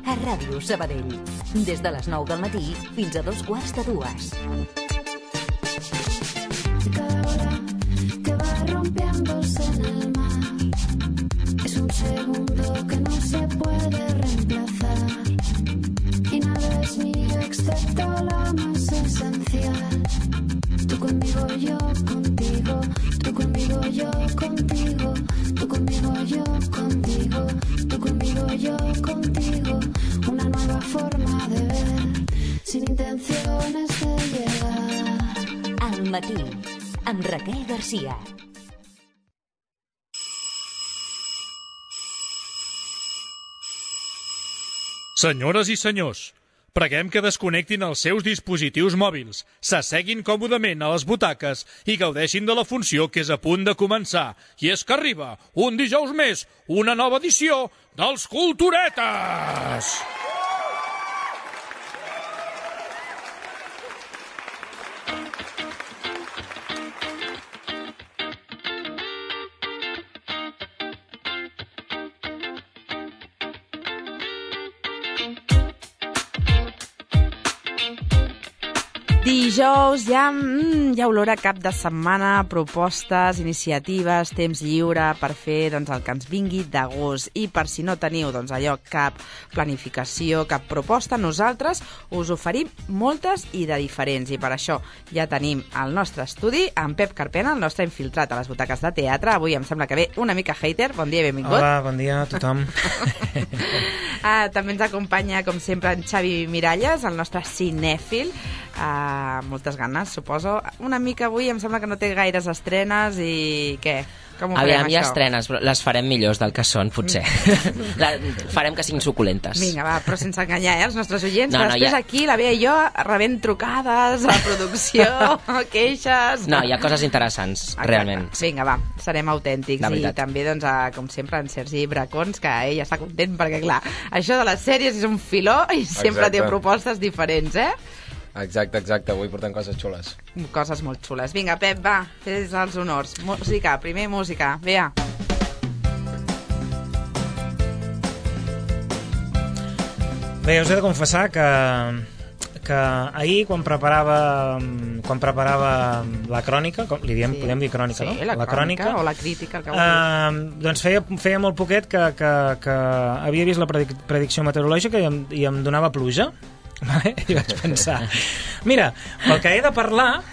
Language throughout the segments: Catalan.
a Ràdio Sabadell. Des de les 9 del matí fins a 2:45. Cada ola que va rompiéndose en el mar es un segundo que no se puede reemplazar y nada es mío excepto lo más esencial. Tú conmigo, yo contigo, tú conmigo, yo contigo, tú conmigo, yo contigo, tú conmigo, yo contigo, una nueva forma de ver sin intenciones de llegar. Al matí, amb Raquel Garcia. Senyores i senyors, preguem que desconnectin els seus dispositius mòbils, s'asseguin còmodament a les butaques i gaudeixin de la funció que és a punt de començar. I és que arriba, un dijous més, una nova edició dels Culturetes! Dijous, ja olora cap de setmana, propostes, iniciatives, temps lliure per fer el que ens vingui de gust. I per si no teniu cap planificació, cap proposta, nosaltres us oferim moltes i de diferents. I per això ja tenim al nostre estudi en Pep Carpena, el nostre infiltrat a les butaques de teatre. Avui em sembla que ve una mica hater. Bon dia i benvingut. Hola, bon dia a tothom. També ens acompanya, com sempre, en Xavi Miralles, el nostre cinèfil. Moltes ganes, suposo. Una mica avui em sembla que no té gaires estrenes i què? Com ho farem, Aviam, hi ha estrenes, però les farem millors del que són, potser. Farem que siguin suculentes. Vinga, va, però sense enganyar, els nostres oients. No, després aquí, la Bea i jo, rebent trucades a la producció, queixes... No, hi ha coses interessants, realment. Vinga, va, serem autèntics. I també, com sempre, en Sergi Bracons, que ell està content perquè, clar, això de les sèries és un filó i sempre té propostes diferents, Exacte, avui portem coses xules. Coses molt xules. Vinga, Pep, va, fes els honors. Música, primer música, Bea. Bé, us he de confessar que ahir, quan preparava la crònica, podem dir crònica, no? Sí, la crònica o la crítica, el que vulguis. Doncs feia molt poquet que havia vist la predicció meteorològica i em donava pluja. I vaig pensar, mira, pel que he de parlar,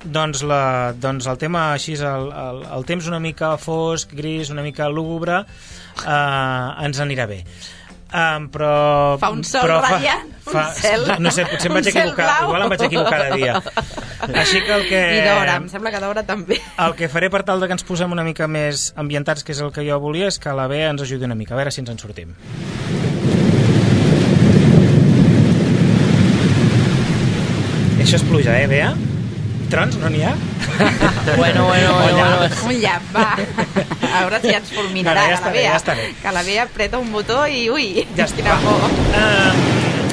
doncs el tema així, el temps una mica fosc, gris, una mica lúgubre, ens anirà bé. Però fa un sol radiant, un cel, no sé, potser em vaig equivocar, igual em vaig equivocar de dia. Així que i d'hora, em sembla que d'hora també. El que faré per tal de que ens posem una mica més ambientats, que és el que jo volia, és que la Bea ens ajudi una mica, a veure si ens en sortim. Això és pluja, Bea? Trons no n'hi ha? Bueno. Un llap, va. A veure si ens fulminarà la Bea. Que la Bea apreta un botó i ui, quina por.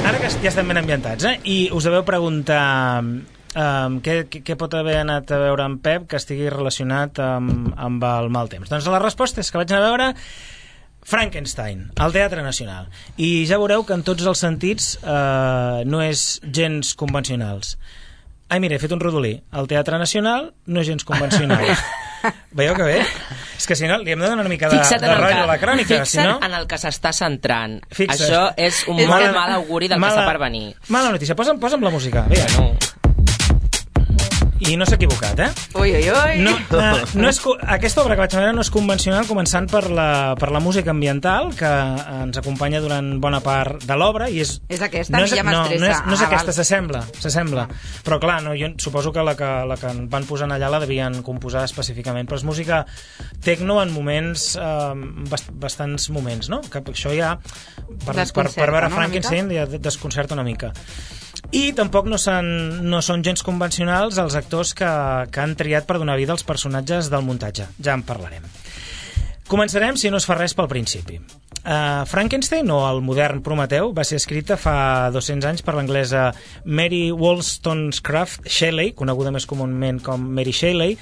Ara que ja estem ben ambientats, i us deveu preguntar què pot haver anat a veure en Pep que estigui relacionat amb el mal temps. Doncs la resposta és que vaig anar a veure Frankenstein, al Teatre Nacional, i ja veureu que en tots els sentits no és gens convencionals. Ai, mira, he fet un rodolí. El Teatre Nacional no és gens convencional. Veieu que bé? És que si no, li hem de donar una mica de rotllo a la crònica. Fixa't en el que s'està centrant. Això és un molt mal auguri del que està per venir. Mala notícia. Posa'm la música. Vinga. I no s'ha equivocat, Ui. Aquesta obra que vaig veure no és convencional, començant per la música ambiental, que ens acompanya durant bona part de l'obra. És aquesta, a mi ja m'estressa. No és aquesta, s'assembla. Però clar, jo suposo que la que van posant allà la devien composar específicament. Però és música tecno en moments, bastants moments, no? Que això ja, per veure Frankenstein, ja desconcerta una mica. I tampoc no són gens convencionals els actors que han triat per donar vida als personatges del muntatge. Ja en parlarem. Començarem, si no es fa res, pel principi. Frankenstein, o el modern Prometeu, va ser escrita fa 200 anys per l'anglesa Mary Wollstonecraft Shelley, coneguda més comúment com Mary Shelley,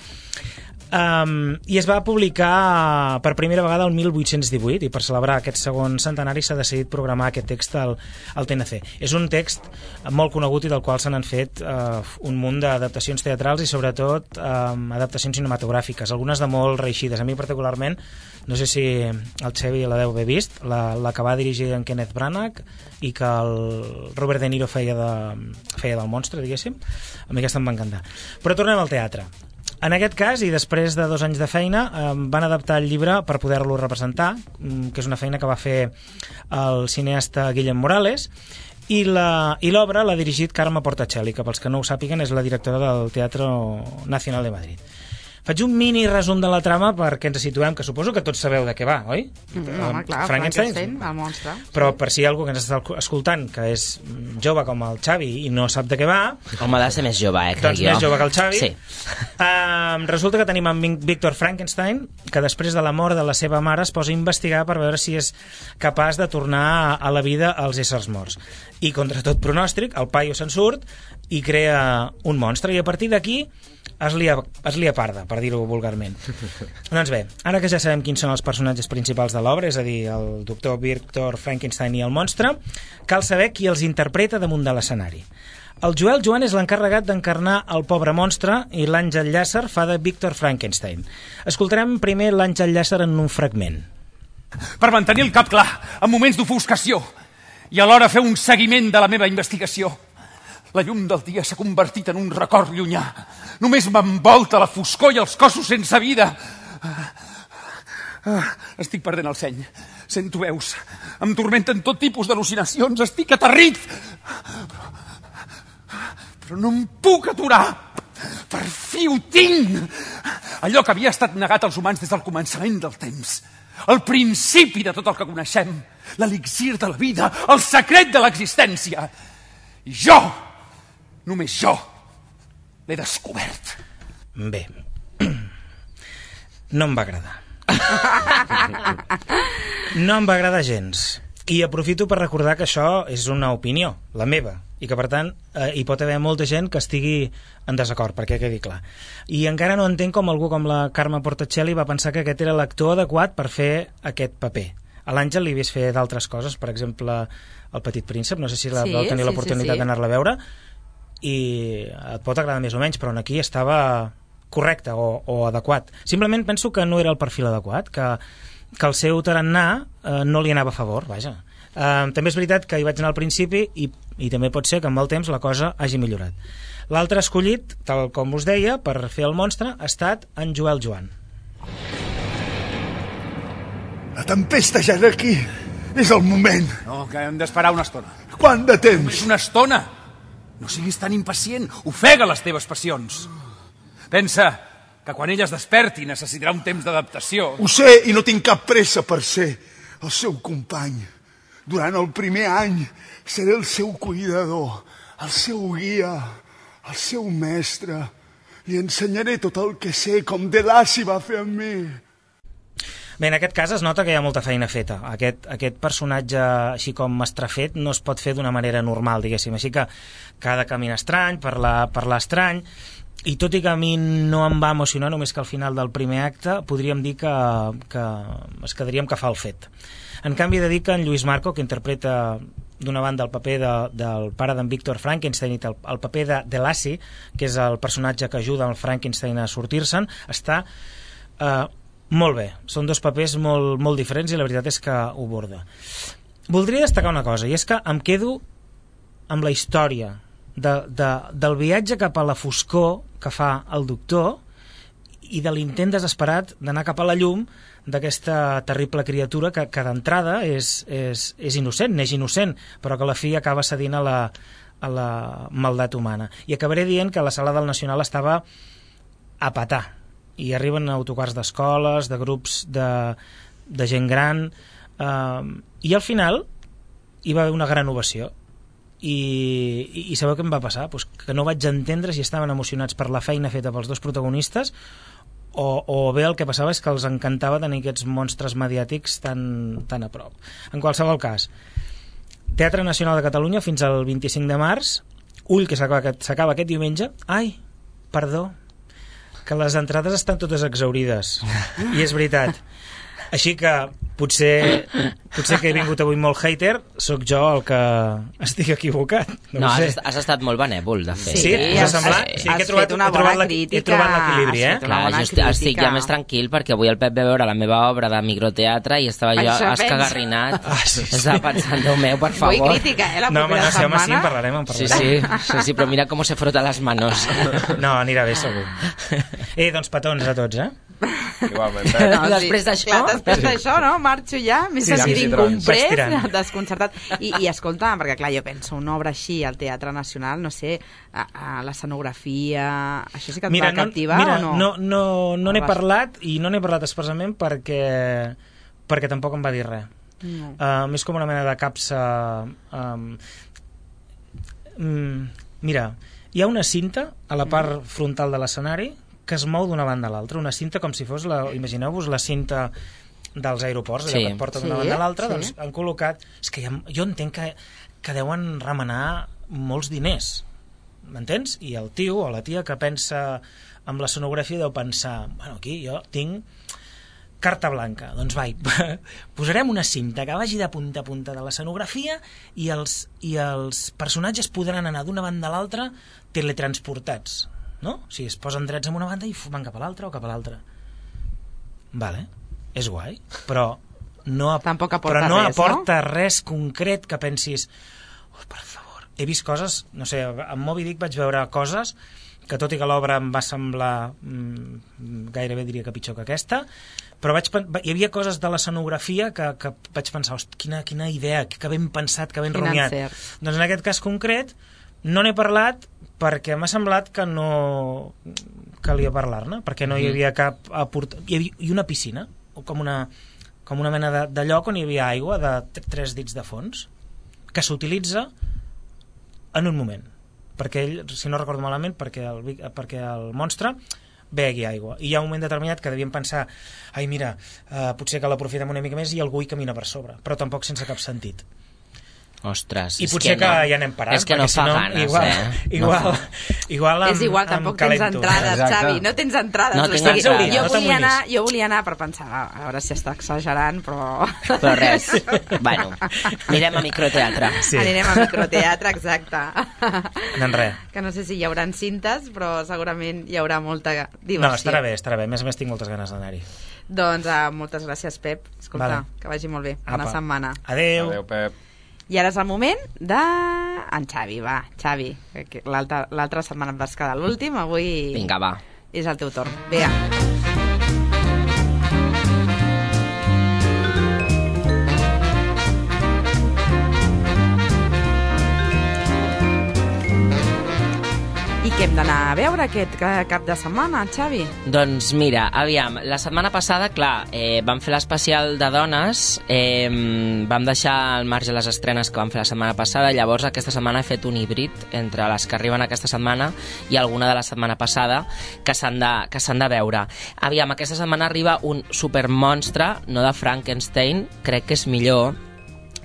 I es va publicar per primera vegada el 1818, i per celebrar aquest segon centenari s'ha decidit programar aquest text al TNC. És un text molt conegut i del qual se n'han fet un munt d'adaptacions teatrals i sobretot adaptacions cinematogràfiques, algunes de molt reeixides. A mi particularment, no sé si el Xevi la deu haver vist, la que va dirigir en Kenneth Branagh i que el Robert De Niro feia del monstre, diguéssim. A mi aquesta em va encantar. Però tornem al teatre. En aquest cas, i després de 2 anys de feina, van adaptar el llibre per poder-lo representar, que és una feina que va fer el cineasta Guillem Morales, i l'obra l'ha dirigit Carme Portacelli, que pels que no ho sàpiguen és la directora del Teatre Nacional de Madrid. Faig un mini resum de la trama perquè ens situem, que suposo que tots sabeu de què va, oi? Home, clar, Frankenstein, el monstre. Però per si hi ha algú que ens està escoltant que és jove com el Xavi i no sap de què va... Home, ha de ser més jove, crec doncs jo. Més jove que el Xavi. Sí. Resulta que tenim en Víctor Frankenstein, que després de la mort de la seva mare es posa a investigar per veure si és capaç de tornar a la vida als éssers morts. I contra tot pronòstic, el paio se'n surt i crea un monstre, i a partir d'aquí es lia parda, per dir-ho vulgarment. Doncs bé, ara que ja sabem quins són els personatges principals de l'obra, és a dir, el doctor Víctor Frankenstein i el monstre, cal saber qui els interpreta damunt de l'escenari. El Joel Joan és l'encarregat d'encarnar el pobre monstre i l'Àngel Llàcer fa de Víctor Frankenstein. Escoltarem primer l'Àngel Llàcer en un fragment. Per mantenir el cap clar en moments d'ofuscació i alhora fer un seguiment de la meva investigació, la llum del dia s'ha convertit en un record llunyà. Només m'envolta la foscor i els cossos sense vida. Estic perdent el seny. Sento veus. Em tormenten tot tipus d'al·lucinacions. Estic aterrit. Però no em puc aturar. Per fi ho tinc. Allò que havia estat negat als humans des del començament del temps. El principi de tot el que coneixem. L'elixir de la vida. El secret de l'existència. I jo, només jo, l'he descobert. Bé, no em va agradar. No em va agradar gens. I aprofito per recordar que això és una opinió, la meva, i que per tant hi pot haver molta gent que estigui en desacord, perquè quedi clar. I encara no entenc com algú com la Carme Portacelli va pensar que aquest era l'actor adequat per fer aquest paper. A l'Àngel li havies fet d'altres coses, per exemple El Petit Príncep, no sé si vau tenir l'oportunitat d'anar-la a veure, i et pot agradar més o menys, però aquí estava correcte o adequat. Simplement penso que no era el perfil adequat, que el seu tarannà no li anava a favor, vaja. També és veritat que hi vaig anar al principi i també pot ser que amb el temps la cosa hagi millorat. L'altre escollit, tal com us deia, per fer el monstre ha estat en Joel Joan. La tempesta ja és aquí. És el moment. No, que hem d'esperar una estona. Quant de temps? És una estona. No siguis tan impacient. Ofega les teves passions. Pensa que quan ella es desperti necessitarà un temps d'adaptació. Ho sé, i no tinc cap pressa per ser el seu company. Durant el primer any seré el seu cuidador, el seu guia, el seu mestre. Li ensenyaré tot el que sé, com Delassi va fer amb mi. Bé, en aquest cas es nota que hi ha molta feina feta. Aquest personatge, així com estrafet, no es pot fer d'una manera normal, diguéssim. Així que ha de caminar estrany, parlar estrany, i tot i que a mi no em va emocionar, només que al final del primer acte podríem dir que es quedaríem que fa el fet. En canvi, he de dir que en Lluís Marco, que interpreta d'una banda el paper del pare d'en Víctor Frankenstein i el paper de Delassi, que és el personatge que ajuda el Frankenstein a sortir-se'n, està molt bé. Són dos papers molt diferents i la veritat és que ho borda. Voldria destacar una cosa, i és que em quedo amb la història del viatge cap a la foscor que fa el doctor i de l'intent desesperat d'anar cap a la llum d'aquesta terrible criatura que d'entrada és innocent, neix innocent, però que a la fi acaba cedint a la maldat humana. I acabaré dient que la sala del Nacional estava a petar, i arriben autocars d'escoles, de grups de gent gran, i al final hi va haver una gran ovació. I sabeu què em va passar? Pues que no vaig entendre si estaven emocionats per la feina feta pels dos protagonistes o bé el que passava és que els encantava tenir aquests monstres mediàtics tan a prop. En qualsevol cas, Teatre Nacional de Catalunya fins al 25 de març, Ull, que s'acaba aquest diumenge. Ai, perdó, que les entrades estan totes exaurides. I és veritat. Així que potser que he vingut avui molt hater, sóc jo el que estic equivocat. No, has estat molt benèvol, de fet. Sí, us ha semblat? Sí, que he trobat l'equilibri, eh? Clar, jo estic ja més tranquil perquè avui el Pep va veure la meva obra de microteatre i estava jo escagarrinat. Estava pensant, Déu meu, per favor. Vull crítica, la propera setmana. Sí, en parlarem. Sí, però mira com se frota les manos. No, anirà bé, segur. Doncs petons a tots, eh? Igualment. Després d'això, no? Marxo ja, m'he sentit incomprès, desconcertat. I escolta, perquè clar, jo penso, una obra així al Teatre Nacional, no sé, a l'escenografia, això sí que et va captivar o no? No n'he parlat, i no n'he parlat expressament perquè tampoc em va dir res. És com una mena de capsa... Mira, hi ha una cinta a la part frontal de l'escenari que es mou d'una banda a l'altra, una cinta com si fos, imagineu-vos la cinta dels aeroports, allò que et porta d'una banda a l'altra, doncs han col·locat... És que jo entenc que deuen remenar molts diners, m'entens? I el tio o la tia que pensa amb l'escenografia deu pensar, bueno, aquí jo tinc carta blanca, doncs posarem una cinta que vagi de punta a punta de l'escenografia i els personatges podran anar d'una banda a l'altra teletransportats, no? O sigui, es posen drets en una banda i van cap a l'altra o cap a l'altra. Vale, és guai, però no aporta res concret que pensis, per favor. He vist coses, no sé, amb Moby Dick vaig veure coses que tot i que l'obra em va semblar gairebé diria que pitjor que aquesta, però hi havia coses de l'escenografia que vaig pensar, quina idea, que ben pensat, que ben rumiat. Doncs en aquest cas concret no n'he parlat perquè m'ha semblat que no calia parlar-ne, perquè no hi havia cap i una piscina, com una mena de lloc on hi havia aigua de 3 dits de fons, que s'utilitza en un moment, perquè ell, si no recordo malament, perquè el monstre begui aigua, i hi ha un moment determinat que devien pensar, ai mira, potser que l'aprofitem una mica més i algú hi camina per sobre, però tampoc sense cap sentit. Ostres, i potser que ja anem parant, és que no fa ganes, igual és igual, tampoc tens entrades, Xavi, no tens entrades. Jo volia anar per pensar, a veure si està exagerant, però res, bueno, anirem a microteatre. Anirem a microteatre, exacte. Doncs res. Que no sé si hi haurà cintes, però segurament hi haurà molta diversió. No, estarà bé, a més tinc moltes ganes d'anar-hi. Doncs moltes gràcies, Pep, escolta, que vagi molt bé, bona setmana. Adéu. Adéu, Pep. I ara és el moment d'en Xavi, va, Xavi, l'altra setmana et vas quedar l'últim, avui vinga, va, és el teu torn, vinga. I què hem d'anar a veure aquest cap de setmana, Xavi? Doncs mira, aviam, la setmana passada, clar, vam fer l'especial de dones, vam deixar al marge les estrenes que vam fer la setmana passada, llavors aquesta setmana he fet un híbrid entre les que arriben aquesta setmana i alguna de la setmana passada que s'han de veure. Aviam, aquesta setmana arriba un supermonstre, no de Frankenstein, crec que és millor.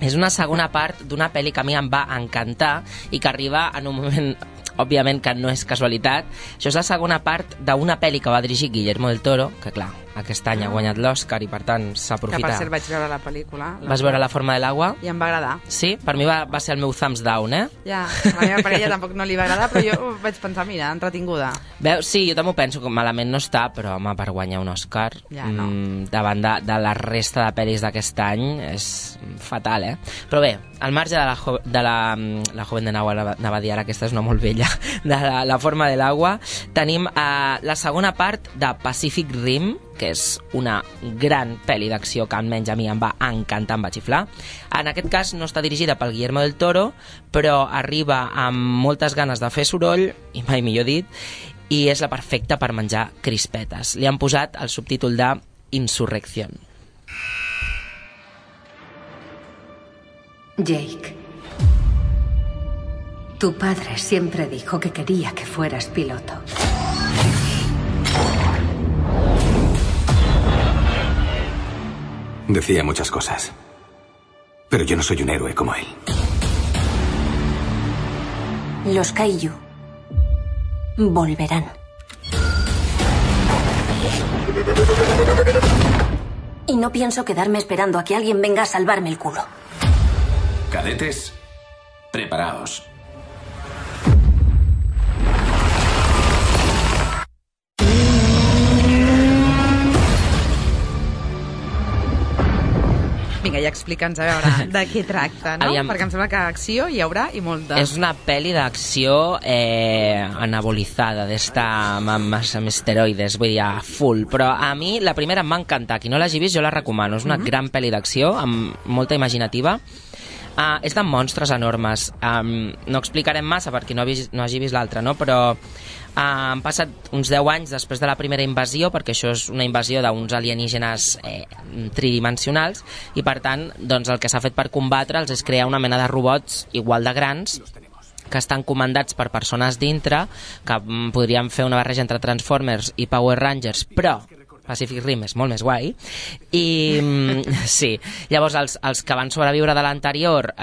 És una segona part d'una pel·li que a mi em va encantar i que arriba en un moment... Òbviament que no és casualitat. Això és la segona part d'una pel·li que va dirigir Guillermo del Toro, que clar, aquest any ha guanyat l'Oscar i per tant s'aprofita. Que per cert vaig veure la pel·lícula. Vas veure La forma de l'agua? I em va agradar. Sí? Per mi va ser el meu thumbs down, Ja, a la meva parella tampoc no li va agradar, però jo vaig pensar, mira, entretinguda. Veus, sí, jo també ho penso, que malament no està, però home, per guanyar un Oscar davant de la resta de pel·lis d'aquest any és fatal, Però bé, al marge de la Joven de Nahua, anava a dir ara, aquesta és una molt vella, de la forma de l'agua, tenim la segona part de Pacific Rim, que és una gran pel·li d'acció que almenys a mi em va encantar, em va xiflar. En aquest cas no està dirigida pel Guillermo del Toro, però arriba amb moltes ganes de fer soroll, i mai millor dit, i és la perfecta per menjar crispetes. Li han posat el subtítol de Insurrección. Jake, tu padre siempre dijo que quería que fueras piloto. Decía muchas cosas, pero yo no soy un héroe como él. Los Kaiju volverán. Y no pienso quedarme esperando a que alguien venga a salvarme el culo. Cadetes, preparaos. Vinga, ja explica'ns, a veure, de què tracta, no? Aviam. Perquè em sembla que acció hi haurà i molta... És una pel·li d'acció anabolizada, d'esta amb esteroides, vull dir, a full. Però a mi la primera em va encantar. Qui no l'hagi vist, jo la recomano. És una gran pel·li d'acció, amb molta imaginativa. És de monstres enormes. No explicarem massa perquè no hagi vist l'altra, no? Però han passat uns 10 anys després de la primera invasió, perquè això és una invasió d'uns alienígenes tridimensionals, i per tant doncs, el que s'ha fet per combatre'ls és crear una mena de robots igual de grans que estan comandats per persones dintre, que podrien fer una barreja entre Transformers i Power Rangers, però Pacific Rim és molt més guai. I sí, llavors els que van sobreviure de l'anterior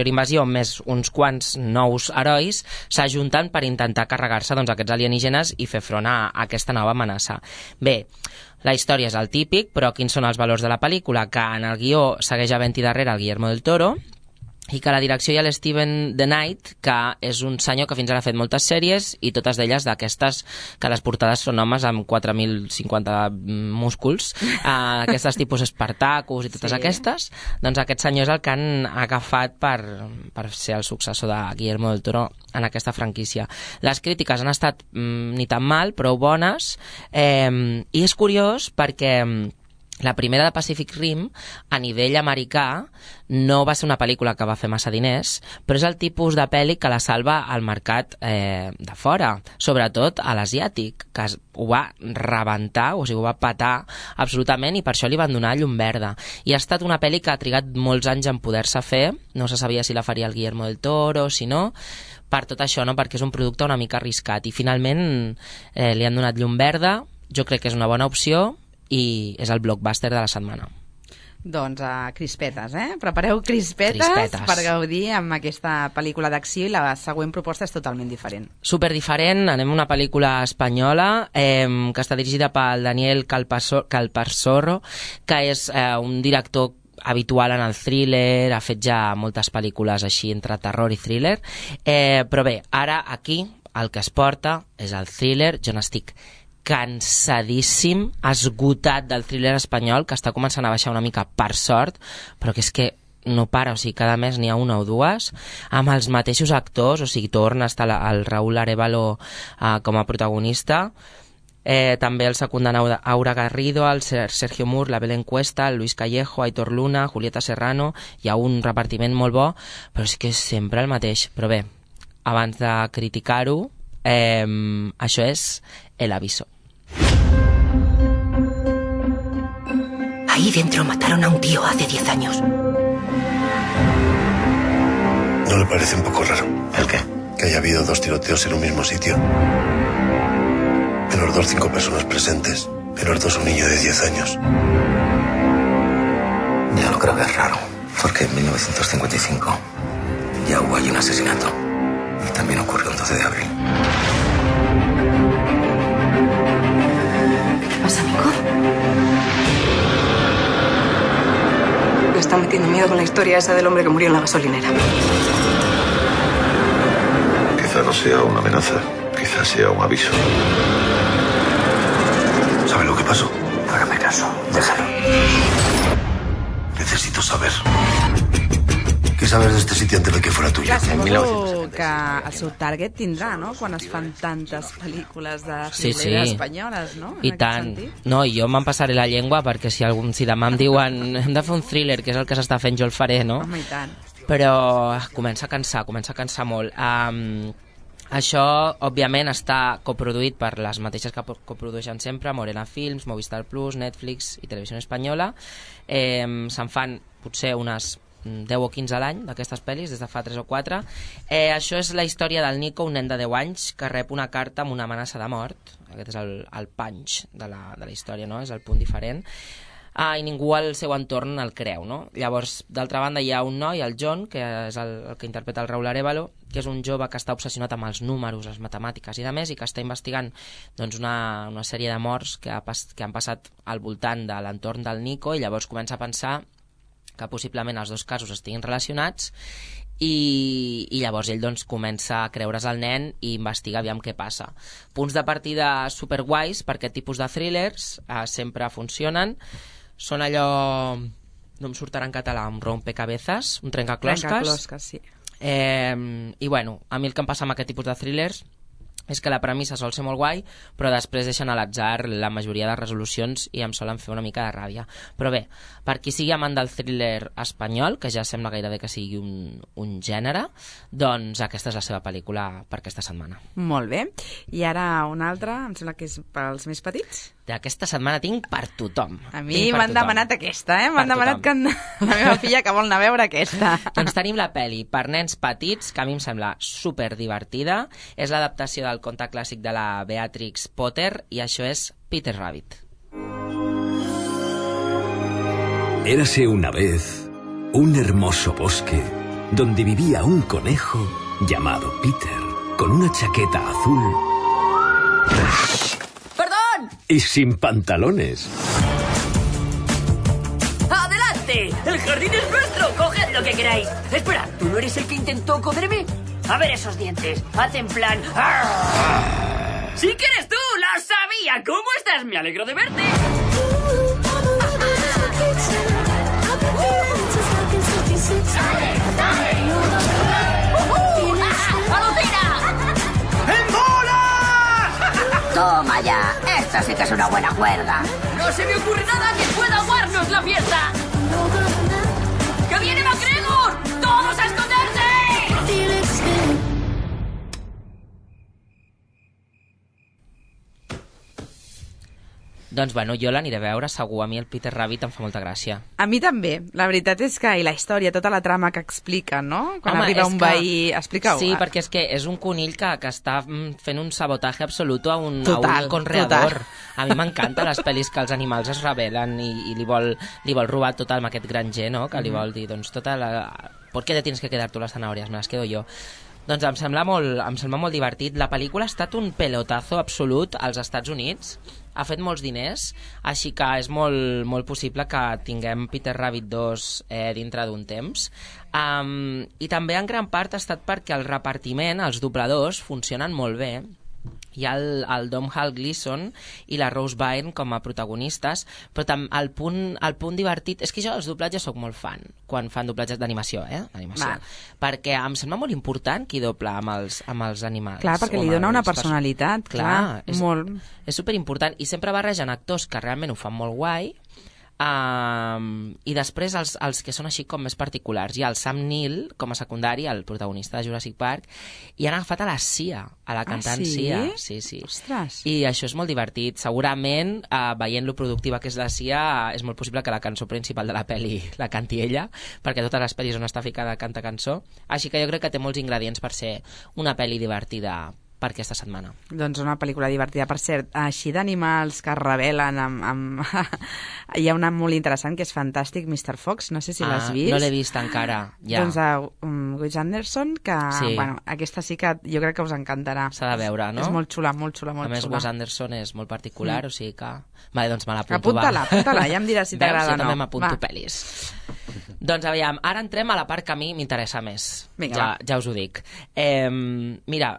invasió, més uns quants nous herois, s'ajunten per intentar carregar-se doncs, aquests alienígenes i fer front a aquesta nova amenaça. Bé, la història és el típic, però quins són els valors de la pel·lícula? Que en el guió segueix havent-hi darrere el Guillermo del Toro, i que a la direcció hi ha l'Steven The Knight, que és un senyor que fins ara ha fet moltes sèries, i totes d'elles d'aquestes que les portades són homes amb 4.050 músculs, aquestes tipus Spartacus i totes aquestes. Doncs aquest senyor és el que han agafat per ser el successor de Guillermo del Toro en aquesta franquícia. Les crítiques han estat ni tan mal, prou bones, i és curiós perquè la primera de Pacific Rim, a nivell americà, no va ser una pel·lícula que va fer massa diners, però és el tipus de pel·li que la salva al mercat de fora, sobretot a l'asiàtic, que ho va rebentar, o sigui, ho va petar absolutament, i per això li van donar llum verda. I ha estat una pel·li que ha trigat molts anys en poder-se fer, no se sabia si la faria el Guillermo del Toro, si no, per tot això, no? Perquè és un producte una mica arriscat, i finalment li han donat llum verda. Jo crec que és una bona opció, i és el blockbuster de la setmana. Doncs crispetes, Prepareu crispetes per gaudir amb aquesta pel·lícula d'acció, i la següent proposta és totalment diferent. Super diferent, anem a una pel·lícula espanyola que està dirigida pel Daniel Calparsoro, que és un director habitual en el thriller, ha fet ja moltes pel·lícules així entre terror i thriller, però bé, ara aquí el que es porta és el thriller. Jo n'estic cansadíssim, esgotat del thriller espanyol, que està començant a baixar una mica, per sort, però que és que no para, o sigui, cada mes n'hi ha una o dues, amb els mateixos actors, o sigui, torna a estar el Raúl Arévalo com a protagonista, també el secundan Aura Garrido, el Sergio Mur, la Belén Cuesta, el Luis Callejo, Aitor Luna, Julieta Serrano. Hi ha un repartiment molt bo, però és que és sempre el mateix. Però bé, abans de criticar-ho, això és El Aviso. Ahí dentro mataron a un tío hace 10 años. ¿No le parece un poco raro? ¿El qué? Que haya habido 2 tiroteos en un mismo sitio. En los 2, 5 personas presentes. En los 2, un niño de 10 años. Yo no creo que es raro, porque en 1955 ya hubo allí un asesinato. Y también ocurrió el 12 de abril. ¿Qué pasa, Nico? Me está metiendo miedo con la historia esa del hombre que murió en la gasolinera. Quizá no sea una amenaza, quizá sea un aviso. ¿Sabe lo que pasó? Hágame caso, déjalo. Necesito saber. ¿Qué sabes de este sitio antes de que fuera tuyo? Clar, suposo que el seu target tindrà, no?, quan es fan tantes pel·lícules de thriller espanyoles, no? I tant. No, i jo me'n passaré la llengua, perquè si demà em diuen hem de fer un thriller, que és el que s'està fent, jo el faré, no? Home, i tant. Però comença a cansar molt. Això, òbviament, està coproduït per les mateixes que coprodueixen sempre, Morena Films, Movistar Plus, Netflix i Televisió Espanyola. Se'n fan potser unes 10 o 15 a l'any d'aquestes pel·lis, des de fa 3 o 4. Això és la història del Nico, un nen de 10 anys que rep una carta amb una amenaça de mort. Aquest és el punch de la història, no? És el punt diferent. i ningú al seu entorn el creu, no? Llavors, d'altra banda, hi ha un noi, el John, que és el que interpreta el Raúl Arévalo, que és un jove que està obsessionat amb els números, les matemàtiques i de més, i que està investigant doncs, una sèrie de morts que han passat al voltant de l'entorn del Nico, i llavors comença a pensar que possiblement els dos casos estiguin relacionats, i llavors ell doncs, comença a creure's el nen i investiga aviam què passa. Punts de partida superguais per aquest tipus de thrillers, sempre funcionen. Són allò, no em sortirà en català, un rompecabezas, un trencaclosques. Trencaclosques, sí. I bueno, a mi el que em passa amb aquest tipus de thrillers és que la premissa sol ser molt guai, però després deixen a l'atzar la majoria de resolucions i em solen fer una mica de ràbia. Però bé, per qui sigui amant del thriller espanyol, que ja sembla gairebé que sigui un gènere, doncs aquesta és la seva pel·lícula per aquesta setmana. Molt bé. I ara una altra, em sembla que és pels més petits. D'aquesta setmana tinc per tothom. A mi m'han demanat aquesta, M'han demanat que la meva filla que vol anar a veure aquesta. Doncs tenim la pel·li per nens petits, que a mi em sembla super divertida. És l'adaptació del conte clàssic de la Beatrix Potter, i això és Peter Rabbit. Érase una vez un hermoso bosque donde vivía un conejo llamado Peter, con una chaqueta azul y sin pantalones. ¡Adelante! ¡El jardín es nuestro! ¡Coged lo que queráis! Espera, ¿tú no eres el que intentó cogerme? A ver esos dientes. Haz en plan... ¡Arr! ¡Sí que eres tú! ¡Lo sabía! ¿Cómo estás? Me alegro de verte. ¡Dale! ¡Alucina! ¡En bola! Toma ya. Esta sí que es una buena cuerda. ¡No se me ocurre nada que pueda aguarnos la fiesta! ¡Que viene MacGregor! ¡Todos a esconderse! Doncs bueno, jo l'aniré a veure, segur. A mi el Peter Rabbit em fa molta gràcia. A mi també. La veritat és que, i la història, tota la trama que explica, no? Quan arriba un veí... Explica-ho. Sí, perquè és que és un conill que està fent un sabotatge absolut a un conreador. A mi m'encanta les pel·lis que els animals es rebel·len i li vol robar tot amb aquest granger, no? Que li vol dir, doncs, tota la... ¿Por qué te tienes que quedar tú las zanahorias? Me las quedo yo. Doncs em sembla molt divertit. La pel·lícula ha estat un pelotazo absolut als Estats Units. Ha fet molts diners, així que és molt possible que tinguem Peter Rabbit 2 dintre d'un temps. I també en gran part ha estat perquè el repartiment, els dobladors, funcionen molt bé. Hi ha el Domhnall Gleeson i la Rose Byrne com a protagonistes, però el punt divertit és que jo els doblatges soc molt fan quan fan doblatges d'animació, perquè em sembla molt important qui dobla amb els animals. Clar, perquè li dona una personalitat, clar, molt. És superimportant, i sempre barregen actors que realment ho fan molt guai, i després els que són així com més particulars. Hi ha el Sam Neill com a secundari, el protagonista de Jurassic Park, i han agafat a la Sia, a la cantant Sia. Sí. Ostres. I això és molt divertit. Segurament, veient lo productiva que és la Sia, és molt possible que la cançó principal de la pel·li la canti ella, perquè totes les pel·lis on està ficada canta cançó. Així que jo crec que té molts ingredients per ser una pel·li divertida per aquesta setmana. Doncs una pel·lícula divertida. Per cert, així d'animals que es rebel·len hi ha una molt interessant que és fantàstic, Mr. Fox, no sé si l'has vist. No l'he vist encara, ja. Doncs Wes Anderson, que bueno, aquesta sí que jo crec que us encantarà. S'ha de veure, no? És molt xula, molt xula. A més, Wes Anderson és molt particular, o sigui que... Vale, doncs me l'apunto, Apunta-la, ja em diràs si t'agrada o no. Jo també m'apunto pel·lis. Doncs aviam, ara entrem a la part que a mi m'interessa més. Vinga, ja us ho dic. Mira,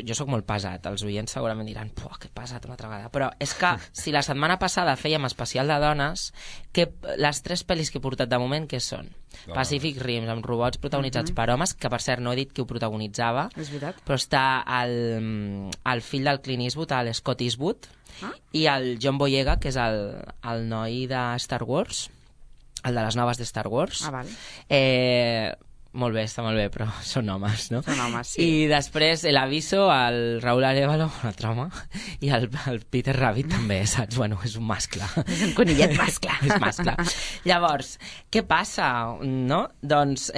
jo sóc molt pesat, els oients segurament diran que pesat una altra vegada, però és que si la setmana passada fèiem especial de dones, les 3 pel·lis que he portat de moment, què són? Pacific Rim, amb robots protagonitzats per homes, que per cert no he dit qui ho protagonitzava, però està el fill del Clint Eastwood, l'Scott Eastwood, i el John Boyega, que és el noi de Star Wars, el de les noves de Star Wars. Vale. Molt bé, està molt bé, però són homes, no? Són homes, sí. I després l'Aviso, el Raúl Arévalo, un altre home, i el Peter Rabbit també, saps? Bueno, és un mascle. És un conillet mascle. És mascle. Llavors, què passa, no? Doncs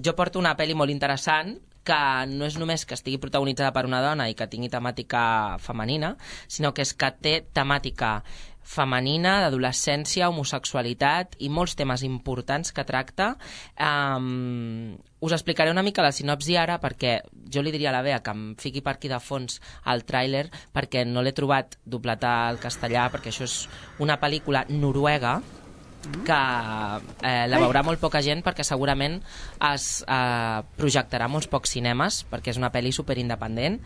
jo porto una pel·li molt interessant que no és només que estigui protagonitzada per una dona i que tingui temàtica femenina, sinó que és que té temàtica femenina, d'adolescència, homosexualitat i molts temes importants que tracta. Us explicaré una mica la sinopsi ara, perquè jo li diria a la Bea que em fiqui per aquí de fons el tràiler, perquè no l'he trobat doblat al castellà, perquè això és una pel·lícula noruega que la veurà molt poca gent, perquè segurament es projectarà molts pocs cinemes, perquè és una pel·li superindependent,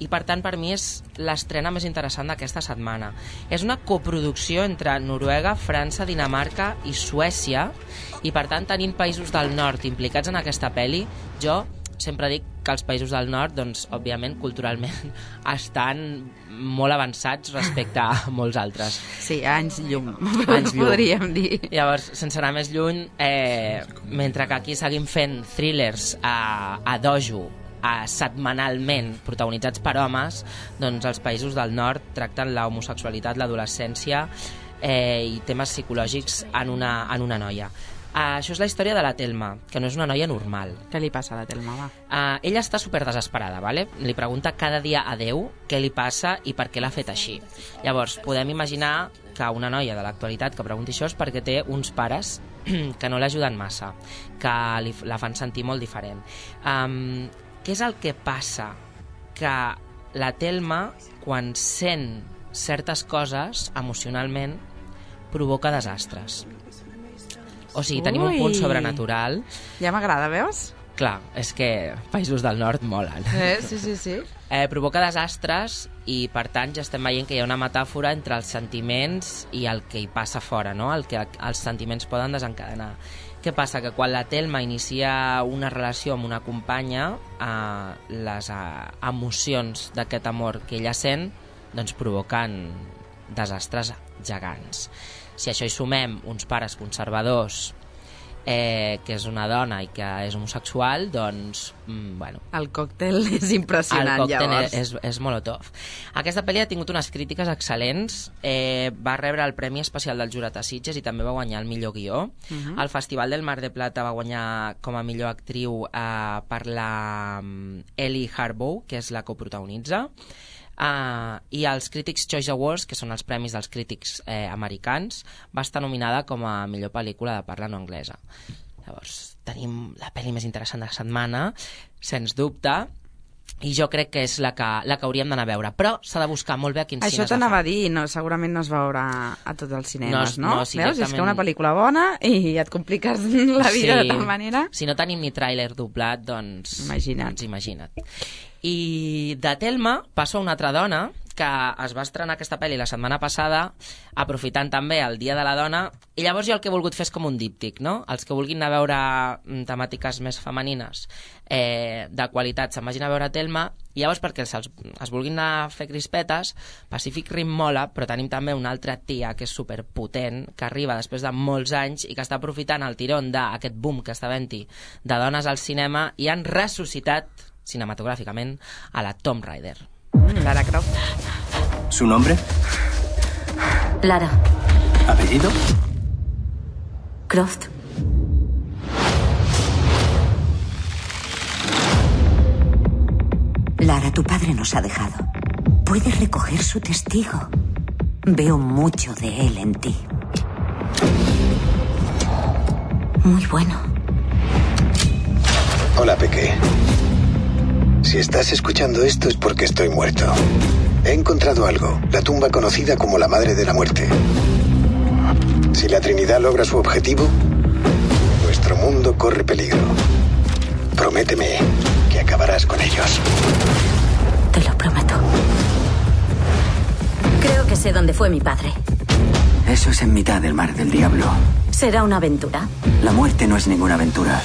i per tant per mi és l'estrena més interessant d'aquesta setmana. És una coproducció entre Noruega, França, Dinamarca i Suècia, i per tant tenint països del nord implicats en aquesta pel·li, jo sempre dic que els països del nord, doncs, òbviament, culturalment, estan molt avançats respecte a molts altres. Sí, anys llum, podríem dir. Llavors, sense anar més lluny, mentre que aquí seguim fent thrillers a dojo, setmanalment, protagonitzats per homes, doncs els països del nord tracten la homosexualitat, l'adolescència i temes psicològics en una noia. Això és la història de la Thelma, que no és una noia normal. Què li passa a la Thelma, va? Ella està super desesperada, ¿vale? Li pregunta cada dia a Déu què li passa i per què l'ha fet així. Llavors, podem imaginar que una noia de l'actualitat que pregunti això és perquè té uns pares que no l'ajuden massa, que la fan sentir molt diferent. Què és el que passa? Que la Thelma, quan sent certes coses emocionalment, provoca desastres. O sigui, tenim un punt sobrenatural. Ja m'agrada, veus? Clar, és que països del nord molen. Sí. Provoca desastres i, per tant, ja estem veient que hi ha una metàfora entre els sentiments i el que hi passa fora, no? El que els sentiments poden desencadenar. Què passa? Que quan la Thelma inicia una relació amb una companya, les emocions d'aquest amor que ella sent doncs provoquen desastres gegants. Si a això hi sumem uns pares conservadors, que és una dona i que és homosexual, doncs, bueno... El còctel és impressionant, llavors. El còctel és molotov. Aquesta pel·li ha tingut unes crítiques excel·lents, va rebre el Premi Especial del Jurat a Sitges i també va guanyar el millor guió. Al Festival del Mar de Plata va guanyar com a millor actriu per la Ellie Harbour, que és la que ho protagonitza. I als Critics' Choice Awards, que són els premis dels crítics americans, va estar nominada com a millor pel·lícula de parla no anglesa. Llavors, tenim la pel·li més interessant de la setmana, sens dubte, i jo crec que és la que hauríem d'anar a veure, però s'ha de buscar molt bé a quins cines. Això t'anava a dir, no, segurament no es veurà a tots els cinemes, no? Sí, veus? És que una pel·lícula bona i et compliques la vida de tal manera. Si no tenim ni tràiler doblat, doncs imagina't. I de Thelma passo a una altra dona que es va estrenar aquesta pel·li la setmana passada, aprofitant també el Dia de la Dona, i llavors jo el que he volgut fer és com un díptic, no? Els que vulguin anar a veure temàtiques més femenines de qualitat se'n vagin a veure Thelma, i llavors perquè es vulguin anar a fer crispetes, Pacific Rim mola, però tenim també una altra tia que és superpotent, que arriba després de molts anys i que està aprofitant el tirón d'aquest boom que està havent-hi de dones al cinema i han ressuscitat cinematográficamente a la Tomb Raider. Lara Croft. ¿Su nombre? Lara. ¿Apellido? Croft. Lara, tu padre nos ha dejado. Puedes recoger su testigo. Veo mucho de él en ti. Muy bueno. Hola, Peque. Si estás escuchando esto es porque estoy muerto. He encontrado algo, la tumba conocida como la Madre de la Muerte. Si la Trinidad logra su objetivo, nuestro mundo corre peligro. Prométeme que acabarás con ellos. Te lo prometo. Creo que sé dónde fue mi padre. Eso es en mitad del Mar del Diablo. ¿Será una aventura? La muerte no es ninguna aventura.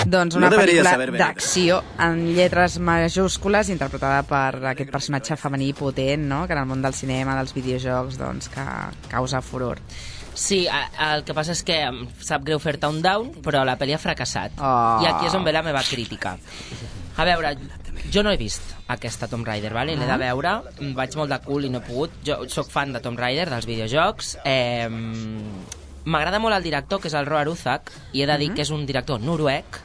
Doncs una pel·lícula d'acció en lletres majúscules interpretada per aquest personatge femení potent, no? Que en el món del cinema, dels videojocs, doncs, que causa furor. Sí, el que passa és que sap greu fer-te un down, però la pel·li ha fracassat. I aquí és on ve la meva crítica. A veure, Jo no he vist aquesta Tomb Raider, vale? L'he de veure, vaig molt de cul i no he pogut. Jo sóc fan de Tomb Raider, dels videojocs. M'agrada molt el director, que és el Roar Uzak, i he de dir que és un director noruec.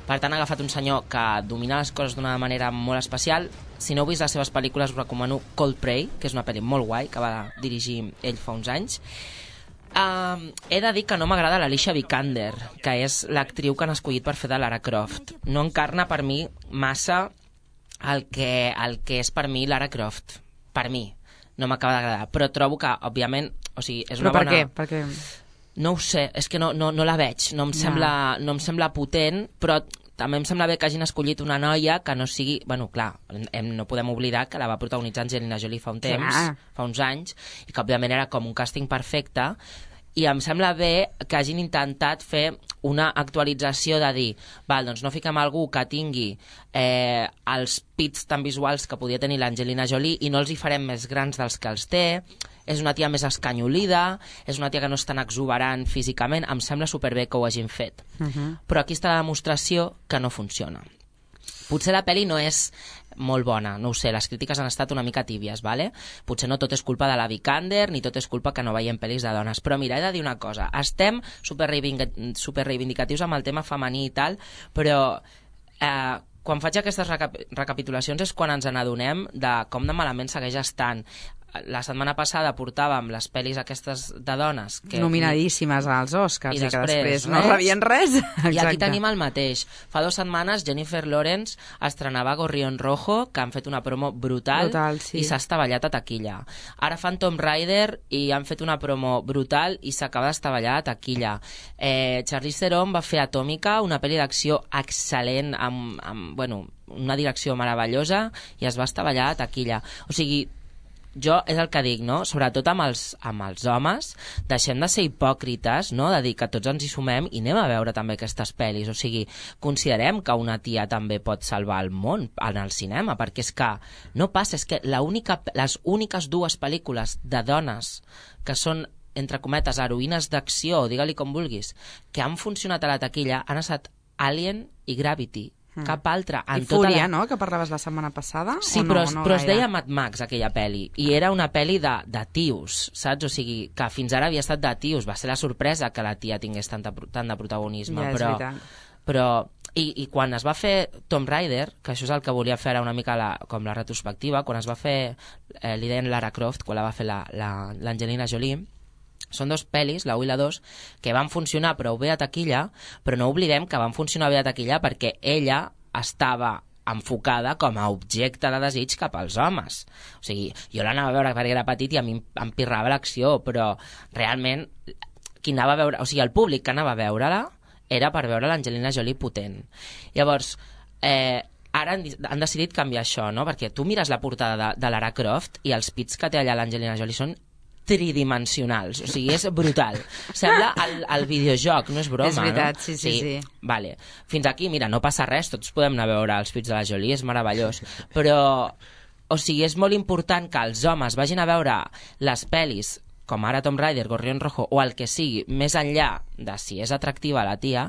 Per tant, ha agafat un senyor que domina les coses d'una manera molt especial. Si no heu vist les seves pel·lícules, us recomano Cold Prey, que és una pel·li molt guai, que va dirigir ell fa uns anys. He de dir que no m'agrada l'Alicia Vikander, que és l'actriu que han escollit per fer de Lara Croft. No encarna per mi massa el que és per mi Lara Croft. Per mi. No m'acaba d'agradar. Però trobo que, òbviament, o sigui, és una bona... Però per què? No ho sé, és que no la veig, no em sembla potent, però també em sembla bé que hagin escollit una noia que no sigui... Bueno, clar, no podem oblidar que la va protagonitzar Angelina Jolie fa un temps, fa uns anys, i que òbviament era com un càsting perfecte, i em sembla bé que hagin intentat fer una actualització de dir, val, doncs no fiquem algú que tingui els pits tan visuals que podia tenir l'Angelina Jolie i no els hi farem més grans dels que els té, és una tia més escanyolida, és una tia que no és tan exuberant físicament, em sembla superbé que ho hagin fet. Però aquí està la demostració que no funciona. Potser la pel·li no és molt bona, no ho sé, les crítiques han estat una mica tíbies, vale? Potser no tot és culpa de la Vikander, ni tot és culpa que no veiem pel·lis de dones, però mira, he de dir una cosa, estem superreivindicatius amb el tema femení i tal, però quan faig aquestes recapitulacions és quan ens n'adonem de com de malament segueix estant. La setmana passada portàvem les pel·lis aquestes de dones nominadíssimes als Oscars i que després no res. rebien res. I aquí tenim el mateix. Fa 2 setmanes Jennifer Lawrence estrenava Gorrión Rojo, que han fet una promo brutal sí. I s'ha estavellat a taquilla. Ara fan Tomb Raider i han fet una promo brutal i s'acaba d'estavellar a taquilla. Charlize Theron va fer Atòmica, una pel·li d'acció excel·lent amb una direcció meravellosa, i es va estavellar a taquilla. O sigui, jo és el que dic, no? Sobretot amb els homes, deixem de ser hipòcrites, no? De dir que tots ens hi sumem i anem a veure també aquestes pel·lis. O sigui, considerem que una tia també pot salvar el món en el cinema, perquè és que no passa, és que les úniques 2 pel·lícules de dones que són, entre cometes, heroïnes d'acció, o digue-li com vulguis, que han funcionat a la taquilla han estat Alien i Gravity. Cap altra. I Fúria, no?, que parlaves la setmana passada? Sí, però es deia Mad Max, aquella pel·li, i era una pel·li de tios, saps? O sigui, que fins ara havia estat de tios. Va ser la sorpresa que la tia tingués tant de protagonisme. Ja, és veritat. Però i quan es va fer Tomb Raider, que això és el que volia fer ara una mica com la retrospectiva, quan es va fer, li deien Lara Croft, quan la va fer l'Angelina Jolie, són 2 pel·lis, la 1 i la 2, que van funcionar prou bé a taquilla, però no oblidem que van funcionar bé a taquilla perquè ella estava enfocada com a objecte de desig cap als homes. O sigui, jo l'anava a veure perquè era petit i a mi em pirrava l'acció, però realment qui anava a veure, o sigui, el públic que anava a veure-la era per veure l'Angelina Jolie potent. Llavors, ara han decidit canviar això, no? Perquè tu mires la portada de Lara Croft i els pits que té allà l'Angelina Jolie són tridimensionals, o sigui, és brutal. Sembla el videojoc, no és broma, és veritat, no? Sí. Vale. Fins aquí, mira, no passa res, tots podem anar a veure els pits de la Jolie, és meravellós, però, o sigui, és molt important que els homes vagin a veure les pel·lis com ara Tomb Raider, Gorrión Rojo o el que sigui, més enllà de si és atractiva la tia,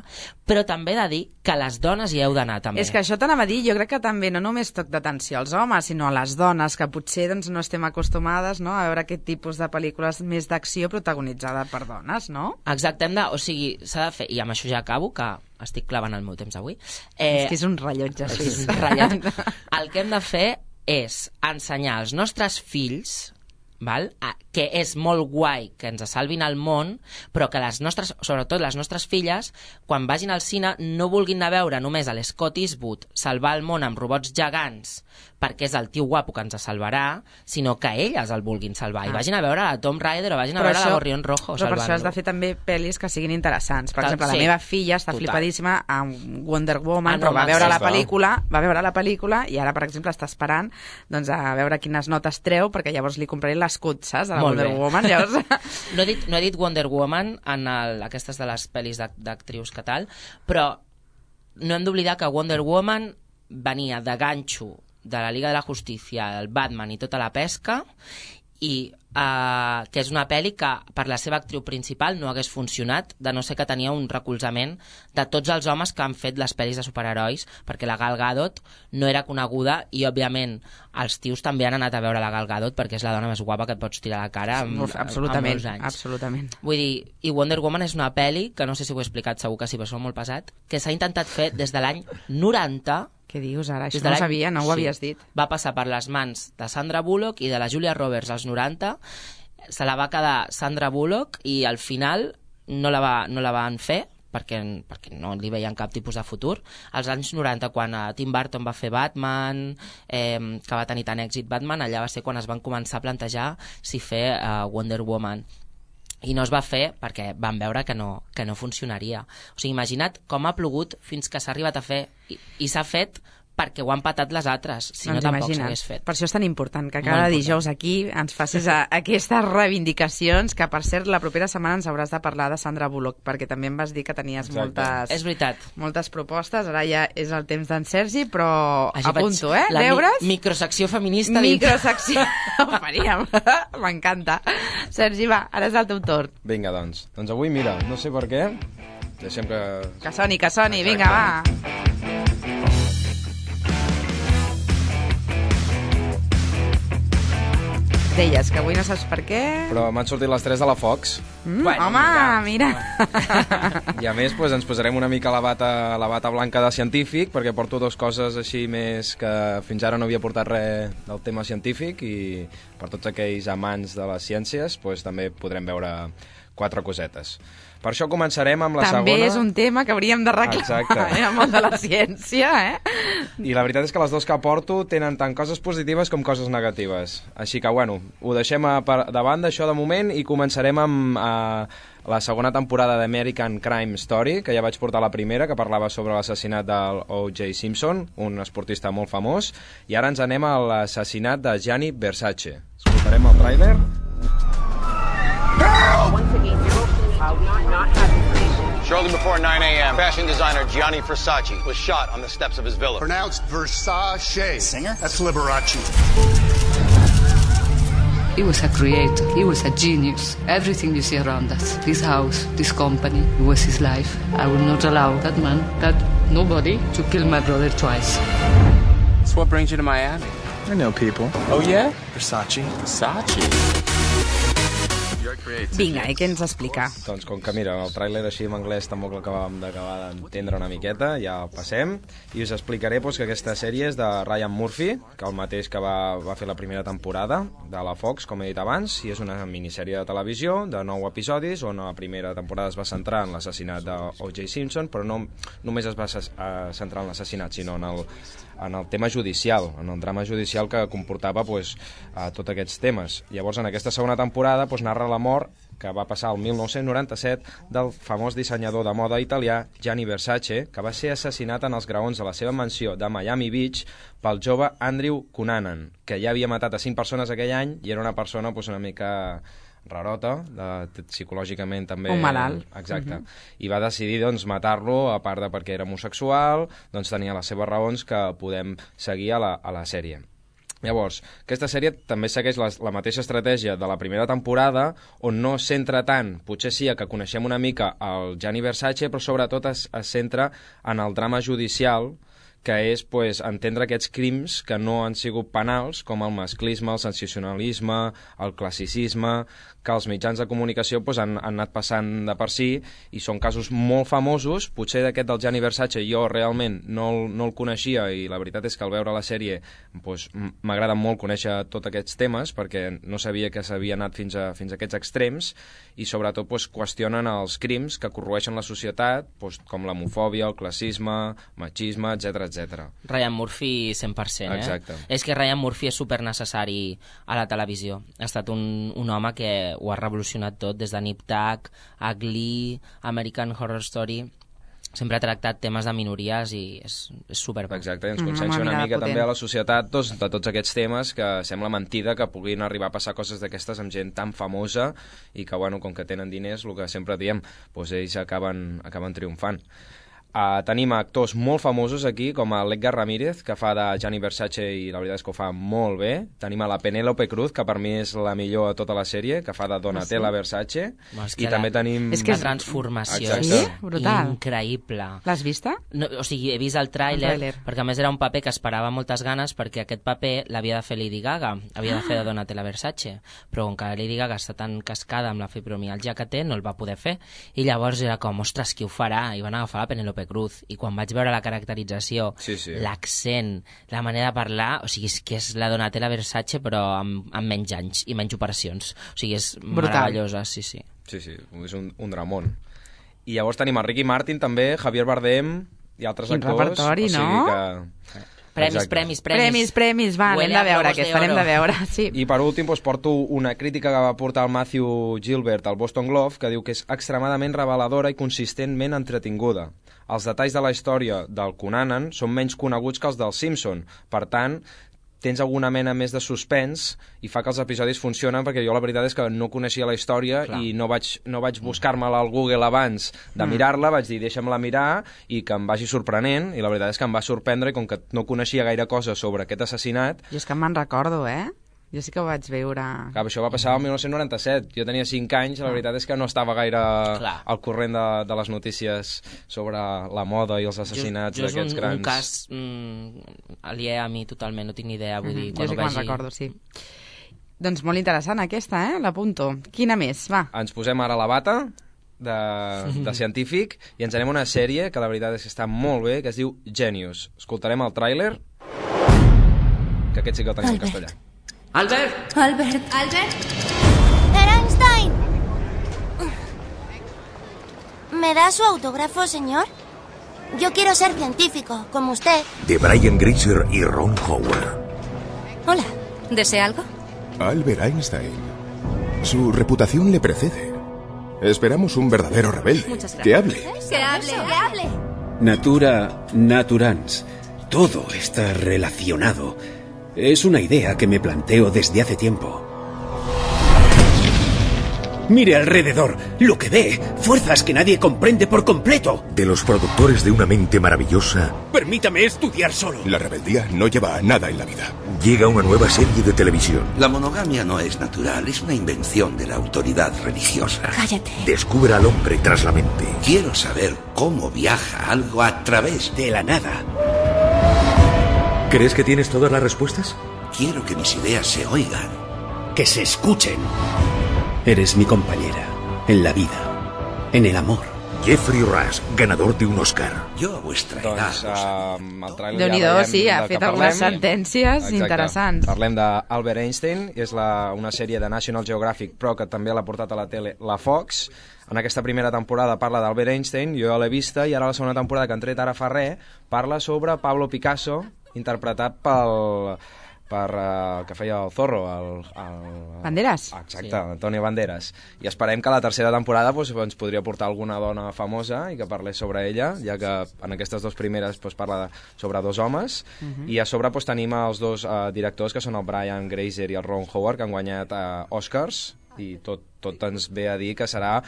però també de dir que les dones hi heu d'anar també. És que això t'anava a dir, jo crec que també no només toc d'atenció als homes, sinó a les dones, que potser doncs, no estem acostumades, no?, a veure aquest tipus de pel·lícules més d'acció protagonitzada per dones, no? Exacte, o sigui, s'ha de fer, i amb això ja acabo, que estic clavant el meu temps avui. És que és un rellotge suís. És un rellotge. El que hem de fer és ensenyar als nostres fills, que és molt guai que ens salvin el món, però que les nostres, sobretot les nostres filles, quan vagin al cine no vulguin anar a veure només a l'Scott Eastwood salvar el món amb robots gegants perquè és el tio guapo que ens salvarà, sinó que elles el vulguin salvar. I vagin a veure la Tomb Raider o vagin a veure la Gorrión Rojo. Però per això has de fer també pel·lis que siguin interessants. Per exemple, la meva filla està flipadíssima amb Wonder Woman, però va veure la pel·lícula i ara, per exemple, està esperant doncs, a veure quines notes treu, perquè llavors li compraré l'escut, saps, de la Wonder Woman. Llavors... No he dit Wonder Woman en aquestes de les pel·lis d'actrius que tal, però no hem d'oblidar que Wonder Woman venia de ganxo de la Liga de la Justícia, el Batman i tota la pesca, i que és una pel·li que per la seva actriu principal no hagués funcionat, de no ser que tenia un recolzament de tots els homes que han fet les pel·lis de superherois, perquè la Gal Gadot no era coneguda i, òbviament, els tios també han anat a veure la Gal Gadot perquè és la dona més guapa que et pots tirar a la cara amb molts anys. Absolutament. Vull dir, i Wonder Woman és una pel·li, que no sé si ho he explicat, segur que sí, però són molt pesat, que s'ha intentat fer des de l'any 90. Què dius ara? Això no ho sabia, no ho havies dit. Va passar per les mans de Sandra Bullock i de la Julia Roberts als 90, se la va quedar Sandra Bullock i al final no la van fer perquè no li veien cap tipus de futur. Als anys 90, quan Tim Burton va fer Batman, que va tenir tant èxit Batman, allà va ser quan es van començar a plantejar si fer Wonder Woman. I no es va fer perquè van veure que no funcionaria. O sigui, imagina't com ha plogut fins que s'ha arribat a fer i s'ha fet perquè ho han patat les altres, si no tampoc s'hagués fet. Per això és tan important que cada dijous aquí ens facis aquestes reivindicacions, que per cert la propera setmana ens hauràs de parlar de Sandra Bullock, perquè també em vas dir que tenies moltes propostes. Ara ja és el temps d'en Sergi, però apunto, deures. Microsecció feminista. Microsecció, ho faríem. M'encanta. Sergi, va, ara és el teu torn. Vinga, doncs avui, mira, no sé per què, deixem que... Que soni, vinga, va. Deies que avui no saps per què... Però m'han sortit les 3 de la Fox. Home, mira! I a més, ens posarem una mica la bata blanca de científic, perquè porto 2 coses així més que fins ara no havia portat res del tema científic, i per tots aquells amants de les ciències també podrem veure 4 cosetes. Per això començarem amb la segona... També és un tema que hauríem de reclamar, el món de la ciència, I la veritat és que les 2 que porto tenen tant coses positives com coses negatives. Així que, ho deixem de banda, això de moment, i començarem amb la segona temporada d'American Crime Story, que ja vaig portar la primera, que parlava sobre l'assassinat del O.J. Simpson, un esportista molt famós, i ara ens anem a l'assassinat de Gianni Versace. Escoltarem el tràiler. Shortly before 9 a.m., fashion designer Gianni Versace was shot on the steps of his villa. Pronounced Versace. Singer? That's Liberace. He was a creator. He was a genius. Everything you see around us, this house, this company, it was his life. I will not allow that man, nobody, to kill my brother twice. So what brings you to Miami? I know people. Oh, yeah? Versace. Vinga, i què ens explica? Doncs com que, mira, el tràiler així en anglès tampoc l'acabàvem d'acabar d'entendre una miqueta, ja el passem, i us explicaré que aquesta sèrie és de Ryan Murphy, que el mateix que va fer la primera temporada de la Fox, com he dit abans, i és una minissèrie de televisió de 9 episodis, on la primera temporada es va centrar en l'assassinat d'O.J. Simpson, però no només es va centrar en l'assassinat, sinó en el tema judicial, en el drama judicial que comportava tots aquests temes. Llavors, en aquesta segona temporada narra la mort que va passar el 1997 del famós dissenyador de moda italià Gianni Versace, que va ser assassinat en els graons de la seva mansió de Miami Beach pel jove Andrew Cunanan, que ja havia matat a 5 persones aquell any i era una persona una mica rarota, psicològicament també... Un malalt. Exacte. I va decidir matar-lo, a part de perquè era homosexual, tenia les seves raons que podem seguir a la sèrie. Llavors, aquesta sèrie també segueix la mateixa estratègia de la primera temporada, on no es centra tant, potser sí que coneixem una mica el Gianni Versace, però sobretot es centra en el drama judicial, que és entendre aquests crims que no han sigut penals, com el masclisme, el sensacionalisme, el classicisme, que els mitjans de comunicació han anat passant de per si, i són casos molt famosos. Potser d'aquest del Gianni Versace jo realment no el coneixia, i la veritat és que al veure la sèrie m'agrada molt conèixer tots aquests temes, perquè no sabia que s'havia anat fins a aquests extrems, i sobretot qüestionen els crims que corroeixen la societat, com l'homofòbia, el classisme, machisme, etc. Ryan Murphy 100%, Exacte. És que Ryan Murphy és supernecessari a la televisió. Ha estat un home que ho ha revolucionat tot, des de Nip Tuck a Glee, American Horror Story. Sempre ha tractat temes de minories i és super... Exacte, ens consciencia una mica també a la societat de tots aquests temes, que sembla mentida que puguin arribar a passar coses d'aquestes amb gent tan famosa i que, com que tenen diners, el que sempre diem, ells acaben triomfant. Tenim actors molt famosos aquí, com l'Edgar Ramírez, que fa de Gianni Versace i la veritat és que ho fa molt bé. Tenim a la Penélope Cruz, que per mi és la millor a tota la sèrie, que fa de Donatella Versace. I també tenim... És que la transformació és increïble. L'has vista? No, o sigui, he vist el tràiler, perquè a més era un paper que esperava moltes ganes, perquè aquest paper l'havia de fer Lady Gaga, havia de fer de Donatella Versace, però com que Lady Gaga està tan cascada amb la fibromialgia que té, no el va poder fer. I llavors era com, ostres, qui ho farà? I van agafar la Penélope Cruz, i quan vaig veure la caracterització, l'accent, la manera de parlar, o sigui, és que és la Donatella Versace però amb menys anys i menys operacions, o sigui, és meravellosa, sí, és un dramón. I llavors tenim el Ricky Martin també, Javier Bardem i altres actors. Quin repertori, no? Premis, va, anem de veure aquesta, anem de veure, sí. I per últim porto una crítica que va portar el Matthew Gilbert al Boston Globe, que diu que és extremadament reveladora i consistentment entretinguda. Els detalls de la història del Cunanan són menys coneguts que els del Simpson, per tant, tens alguna mena més de suspens i fa que els episodis funcionen, perquè jo la veritat és que no coneixia la història i no vaig buscar-me-la al Google abans de mirar-la, vaig dir deixa'm-la mirar i que em vagi sorprenent, i la veritat és que em va sorprendre, i com que no coneixia gaire cosa sobre aquest assassinat... Jo és que me'n recordo, Jo sí que ho vaig veure... Clar, això va passar el 1997. Jo tenia 5 anys, la veritat és que no estava gaire al corrent de les notícies sobre la moda i els assassinats d'aquests grans... Jo és un cas aliè a mi totalment, no tinc ni idea, vull dir... Jo sí que me'n recordo, sí. Doncs molt interessant aquesta, l'apunto. Quina més, va? Ens posem ara la bata de científic i ens anem a una sèrie que la veritat és que està molt bé, que es diu Genius. Escoltarem el tràiler, que aquest sí que el tenim en castellà. ¡Albert! ¡Albert! ¡Einstein! ¿Me da su autógrafo, señor? Yo quiero ser científico, como usted. De Brian Grazer y Ron Howard. Hola, ¿desea algo? Albert Einstein. Su reputación le precede. Esperamos un verdadero rebelde. Muchas gracias. Que hable. Que hable. Natura naturans. Todo está relacionado. Es una idea que me planteo desde hace tiempo. Mire alrededor, lo que ve, fuerzas que nadie comprende por completo. De los productores de Una mente maravillosa... Permítame estudiar solo. La rebeldía no lleva a nada en la vida. Llega una nueva serie de televisión. La monogamia no es natural, es una invención de la autoridad religiosa. Cállate. Descubre al hombre tras la mente. Quiero saber cómo viaja algo a través de la nada. ¿Crees que tienes todas las respuestas? Quiero que mis ideas se oigan. Que se escuchen. Eres mi compañera. En la vida. En el amor. Jeffrey Rush, ganador de un Oscar. Jo a vuestra edat... Déu-n'hi-do, sí, ha fet algunes sentències interessants. Parlem d'Albert Einstein, és una sèrie de National Geographic, però que també l'ha portat a la tele la Fox. En aquesta primera temporada parla d'Albert Einstein, jo ja l'he vista, i ara la segona temporada, que han tret ara fa res, parla sobre Pablo Picasso, interpretat que feia el Zorro, Banderas? Exacte, Antonio Banderas. I esperem que la tercera temporada ens podria portar alguna dona famosa i que parlés sobre ella, ja que en aquestes dues primeres parla sobre dos homes, i a sobre tenim els dos directors, que són el Brian Grazer i el Ron Howard, que han guanyat Oscars, i tot ens ve a dir que serà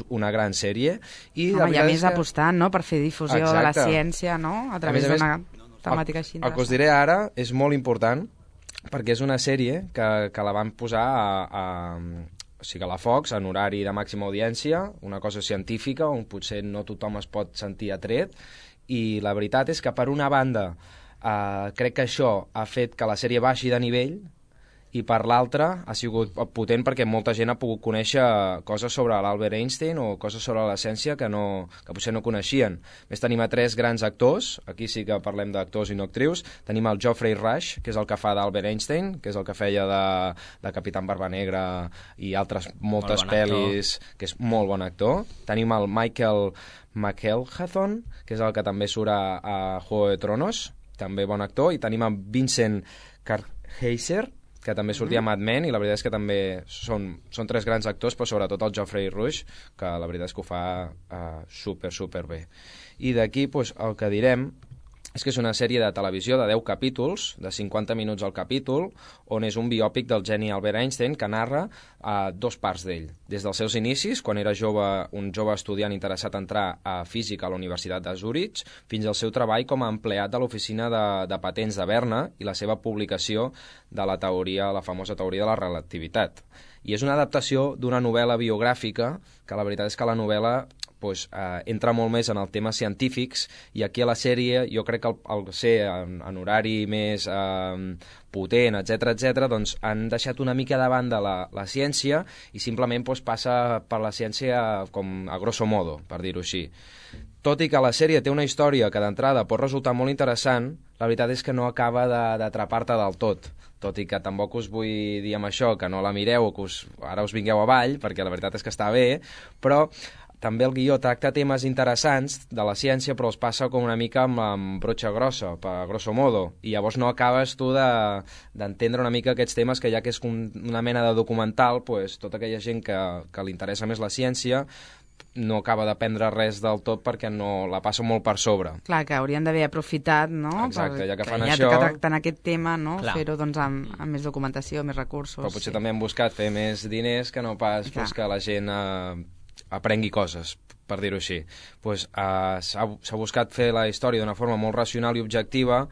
una gran sèrie. I a més apostant, no?, per fer difusió de la ciència, no?, a través d'una temàtica així. El que us diré ara és molt important, perquè és una sèrie que la van posar o sigui, a la Fox, en horari de màxima audiència, una cosa científica, on potser no tothom es pot sentir atret, i la veritat és que, per una banda, crec que això ha fet que la sèrie baixi de nivell, i per l'altra ha sigut potent perquè molta gent ha pogut conèixer coses sobre l'Albert Einstein o coses sobre la ciència que potser no coneixien. Més tenim a 3 grans actors, aquí sí que parlem d'actors i no actrius. Tenim el Geoffrey Rush, que és el que fa d'Albert Einstein, que és el que feia de Capitán Barbanegra i altres moltes pel·lis, que és molt bon actor. Tenim el Michael McElhatton, que és el que també surt a Juego de Tronos, també bon actor. I tenim el Vincent Kartheiser, que també sortia a Mad Men, i la veritat és que també són 3 grans actors, però sobretot el Geoffrey Rush, que la veritat és que ho fa super bé. I d'aquí el que direm és que és una sèrie de televisió de 10 capítols, de 50 minuts al capítol, on és un biòpic del geni Albert Einstein que narra 2 parts d'ell. Des dels seus inicis, quan era un jove estudiant interessat en entrar a física a la Universitat de Zurich, fins al seu treball com a empleat de l'oficina de patents de Berna i la seva publicació de la famosa teoria de la relativitat. I és una adaptació d'una novel·la biogràfica, que la veritat és que la novel·la entra molt més en els temes científics, i aquí a la sèrie jo crec que al ser en horari més potent, etc, doncs han deixat una mica de banda la ciència i simplement passa per la ciència com a grosso modo, per dir-ho així. Tot i que la sèrie té una història que d'entrada pot resultar molt interessant, la veritat és que no acaba d'atrapar-te del tot i que tampoc us vull dir amb això que no la mireu o que ara us vingueu avall, perquè la veritat és que està bé, però també el guió tracta temes interessants de la ciència, però els passa com una mica amb brotxa grossa, per grosso modo, i llavors no acabes tu d'entendre una mica aquests temes, que ja que és una mena de documental, tota aquella gent que li interessa més la ciència no acaba d'aprendre res del tot perquè no la passa molt per sobre. Clar, que haurien d'haver aprofitat, no? Exacte, ja que fan això... això... que tracten aquest tema, no? Fer-ho doncs amb més documentació, més recursos... Però potser també han buscat fer més diners que no pas que la gent aprengui coses, per dir-ho així. S'ha buscat fer la història d'una forma molt racional i objectiva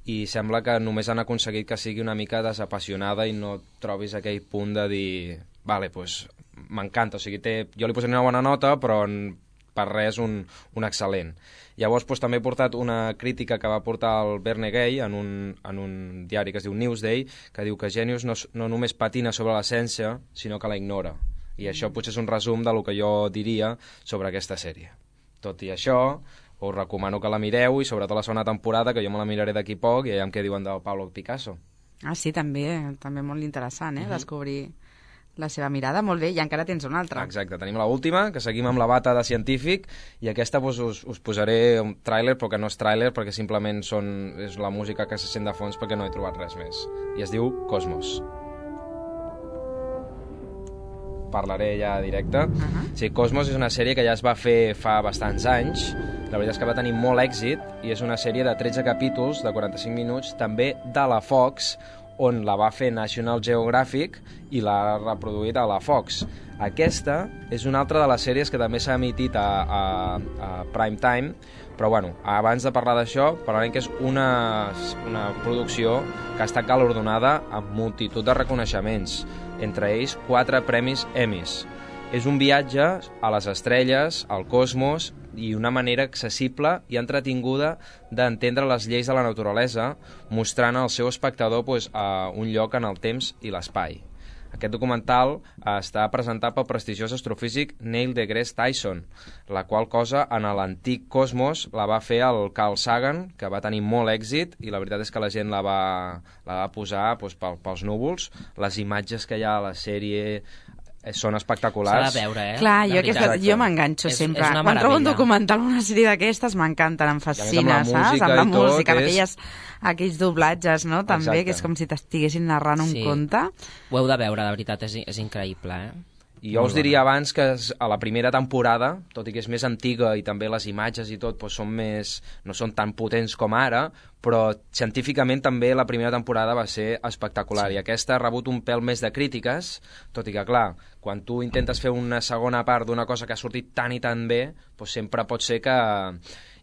i sembla que només han aconseguit que sigui una mica desapassionada i no trobis aquell punt de dir... Vale, m'encanta, o sigui, jo li posaré una bona nota, però per res un excel·lent. Llavors també he portat una crítica que va portar el Verne Gay en un diari que es diu Newsday, que diu que Genius no només patina sobre la ciència, sinó que la ignora. I això potser és un resum del que jo diria sobre aquesta sèrie. Tot i això, us recomano que la mireu, i sobretot la segona temporada, que jo me la miraré d'aquí poc, i aviam què diuen del Pablo Picasso. Ah, sí, també molt interessant, descobrir la seva mirada. Molt bé, i encara tens una altra. Exacte, tenim l'última, que seguim amb la bata de científic, i aquesta us posaré un tràiler, però que no és tràiler, perquè simplement és la música que se sent de fons, perquè no he trobat res més. I es diu Cosmos. Parlaré ja directe. Sí, Cosmos és una sèrie que ja es va fer fa bastants anys. La veritat és que va tenir molt èxit i és una sèrie de 13 capítols de 45 minuts, també de la Fox, on la va fer National Geographic i l'ha reproduït a la Fox. Aquesta és una altra de les sèries que també s'ha emitit a prime time, però bueno, abans de parlar d'això, parlarem que és una producció que ha estat galardonada amb multitud de reconeixements, entre ells 4 premis Emmys. És un viatge a les estrelles, al cosmos, i una manera accessible i entretinguda d'entendre les lleis de la naturalesa, mostrant al seu espectador un lloc en el temps i l'espai. Aquest documental està presentat pel prestigiós astrofísic Neil deGrasse Tyson, la qual cosa en l'antic cosmos la va fer el Carl Sagan, que va tenir molt èxit, i la veritat és que la gent la va posar pels núvols. Les imatges que hi ha a la sèrie són espectaculars. S'ha de veure, Clar, jo m'enganxo sempre. Quan trobo un documental o una sèrie d'aquestes m'encanten, em fascina, saps? Amb la música, aquells doblatges, no? També, que és com si t'estiguessin narrant un conte. Ho heu de veure, de veritat, és increïble, I jo us diria abans que a la primera temporada, tot i que és més antiga i també les imatges i tot no són tan potents com ara, però científicament també la primera temporada va ser espectacular, i aquesta ha rebut un pèl més de crítiques, tot i que, clar, quan tu intentes fer una segona part d'una cosa que ha sortit tan i tan bé, sempre pot ser que...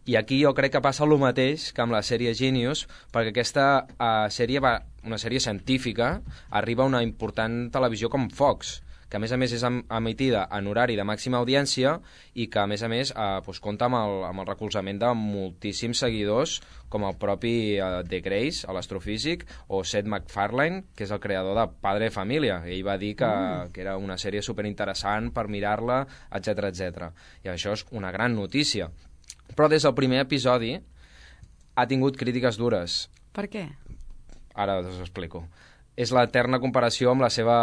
I aquí jo crec que passa el mateix que amb la sèrie Genius, perquè aquesta sèrie, una sèrie científica, arriba a una important televisió com Fox, que a més és emitida en horari de màxima audiència i que a més compta amb el recolzament de moltíssims seguidors, com el propi De Grace, l'astrofísic, o Seth MacFarlane, que és el creador de Padre de Família. Ell va dir que era una sèrie superinteressant per mirar-la, etc. I això és una gran notícia. Però des del primer episodi ha tingut crítiques dures. Per què? Ara us ho explico. És l'eterna comparació amb la seva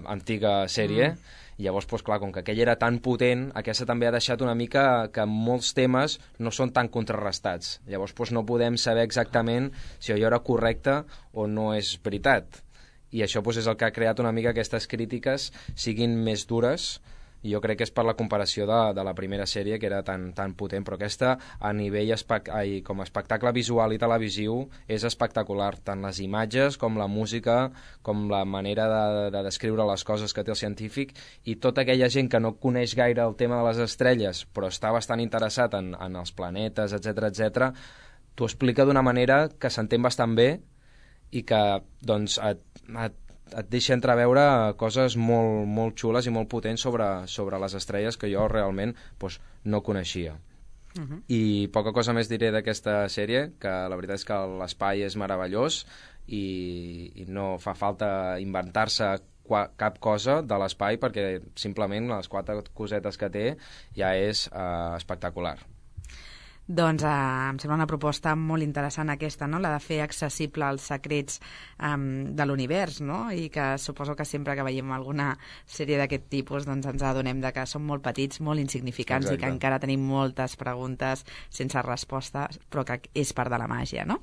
antiga sèrie, i llavors, clar, com que aquella era tan potent, aquesta també ha deixat una mica que molts temes no són tan contrarrestats. Llavors no podem saber exactament si allò era correcte o no és veritat. I això és el que ha creat una mica aquestes crítiques siguin més dures, i jo crec que és per la comparació de la primera sèrie, que era tan potent, però aquesta a nivell com a espectacle visual i televisiu és espectacular, tant les imatges com la música, com la manera de descriure les coses que té el científic, i tota aquella gent que no coneix gaire el tema de les estrelles però està bastant interessat en els planetes, etc, t'ho explica d'una manera que s'entén bastant bé i que doncs et deixa entreveure coses molt, molt xules i molt potents sobre les estrelles que jo realment doncs, no coneixia. I poca cosa més diré d'aquesta sèrie, que la veritat és que l'espai és meravellós i no fa falta inventar-se cap cosa de l'espai, perquè simplement les 4 cosetes que té ja és espectacular. Doncs em sembla una proposta molt interessant aquesta, no? La de fer accessible els secrets de l'univers, no? I que suposo que sempre que veiem alguna sèrie d'aquest tipus doncs ens adonem de que som molt petits, molt insignificants. Exacte. I que encara tenim moltes preguntes sense resposta, però que és part de la màgia, no?